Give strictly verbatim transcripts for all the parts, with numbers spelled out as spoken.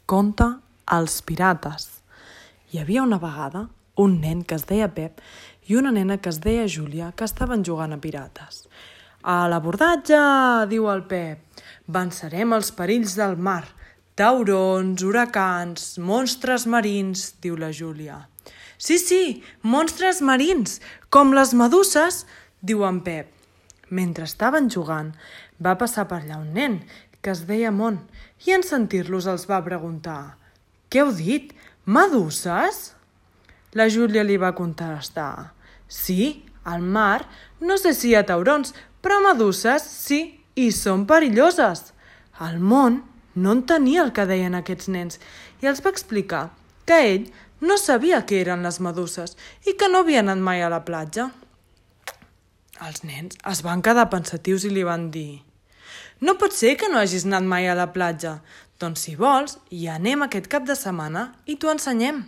Conte Els pirates. Hi havia una vegada un nen que es deia Pep i una nena que es deia Júlia que estaven jugant a pirates. A l'abordatge, diu el Pep, vencerem els perills del mar, taurons, huracans, monstres marins, diu la Júlia. Sí, sí, monstres marins, com les meduses, diu en Pep. Mentre estaven jugant, va passar per allà un nen que es deia Mont i en sentir-los els va preguntar «Què heu dit? Meduses?» La Júlia li va contestar «Sí, al mar no sé si hi ha taurons, però meduses sí, i són perilloses». El Mont no entenia el que deien aquests nens i els va explicar que ell no sabia què eren les meduses i que no havia anat mai a la platja. Els nens es van quedar pensatius i li van dir «No pot ser que no hagis anat mai a la platja. Doncs si vols, hi anem aquest cap de setmana i t'ho ensenyem».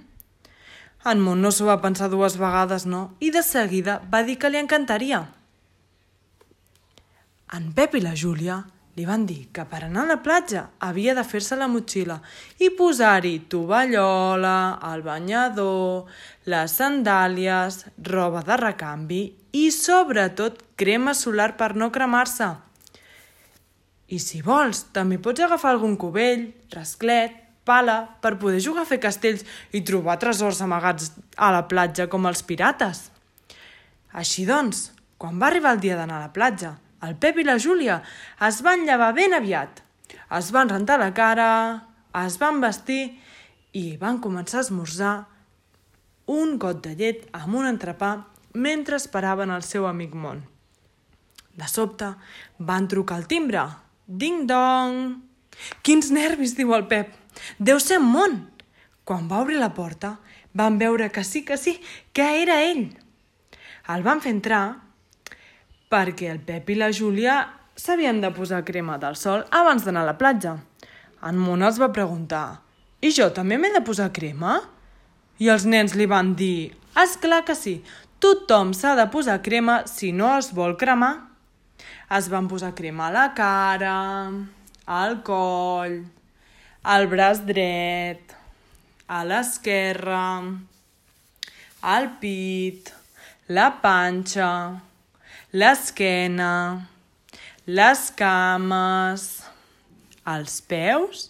En Mont no s'ho va pensar dues vegades, no, i de seguida va dir que li encantaria. En Pep i la Júlia li van dir que per anar a la platja havia de fer-se la motxilla i posar-hi tovallola, el banyador, les sandàlies, roba de recanvi i, sobretot, crema solar per no cremar-se. I si vols, també pots agafar algun cubell, rasclet, pala, per poder jugar a fer castells i trobar tresors amagats a la platja com els pirates. Així doncs, quan va arribar el dia d'anar a la platja, el Pep i la Júlia es van llevar ben aviat. Es van rentar la cara, es van vestir i van començar a esmorzar un got de llet amb un entrepà mentre esperaven el seu amic Mont. De sobte, van trucar al timbre. Ding-dong! Quins nervis, diu el Pep. Deu ser Mont. Quan va obrir la porta, van veure que sí, que sí, que era ell. El van fer entrar perquè el Pep i la Júlia s'havien de posar crema del sol abans d'anar a la platja. En Mont els va preguntar «I jo també m'he de posar crema?» I els nens li van dir «És clar que sí, tothom s'ha de posar crema si no es vol cremar». Es van posar crema a la cara, al coll, al braç dret, a l'esquerra, al pit, la panxa, l'esquena, les cames, els peus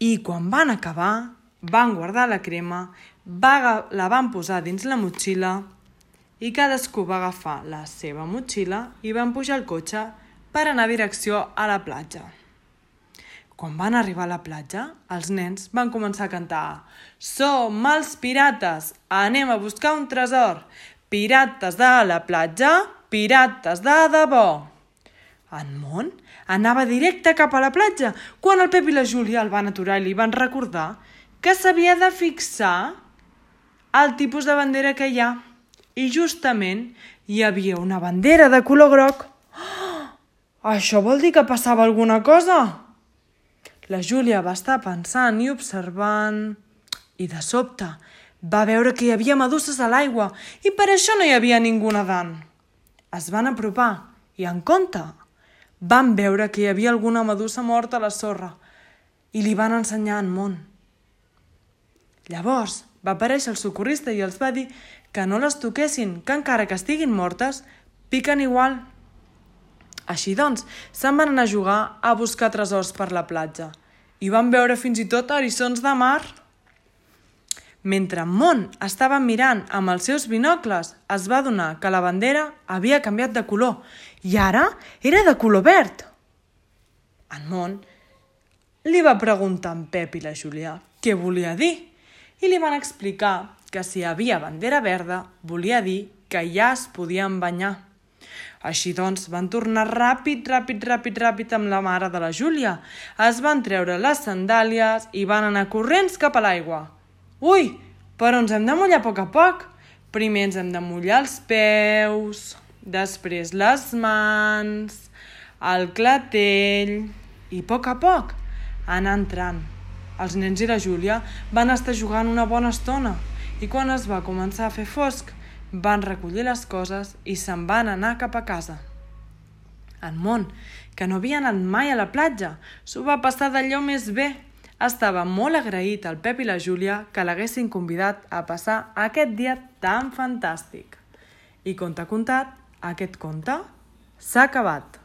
i quan van acabar van guardar la crema, la van posar dins la motxilla i cadascú va agafar la seva motxilla i van pujar al cotxe per anar a direcció a la platja. Quan van arribar a la platja, els nens van començar a cantar «Som els pirates, anem a buscar un tresor, pirates de la platja, pirates de debò». En Mont anava directe cap a la platja quan el Pep i la Júlia el van aturar i li van recordar que s'havia de fixar el tipus de bandera que hi ha. I justament hi havia una bandera de color groc. Oh, això vol dir que passava alguna cosa? La Júlia va estar pensant i observant i de sobte va veure que hi havia meduses a l'aigua i per això no hi havia ningú nedant. Es van apropar i en compte van veure que hi havia alguna medusa morta a la sorra i li van ensenyar en Mont. Llavors va aparèixer el socorrista i els va dir que no les toquessin, que encara que estiguin mortes, piquen igual. Així doncs, se'n van anar a jugar a buscar tresors per la platja i van veure fins i tot eriçons de mar. Mentre en Mont estava mirant amb els seus binocles, es va adonar que la bandera havia canviat de color i ara era de color verd. En Mont li va preguntar a en Pep i la Júlia què volia dir i li van explicar que si hi havia bandera verda volia dir que ja es podien banyar. Així doncs van tornar ràpid, ràpid, ràpid, ràpid amb la mare de la Júlia. Es van treure les sandàlies i van anar corrents cap a l'aigua. Ui, però ens hem de mullar a poc a poc. Primer ens hem de mullar els peus, després les mans, el clatell i a poc a poc anar entrant. Els nens i la Júlia van estar jugant una bona estona i quan es va començar a fer fosc van recollir les coses i se'n van anar cap a casa. En Mont, que no havia anat mai a la platja, s'ho va passar d'allò més bé. Estava molt agraït al Pep i la Júlia que l'haguessin convidat a passar aquest dia tan fantàstic. I conte contat, aquest conte s'ha acabat.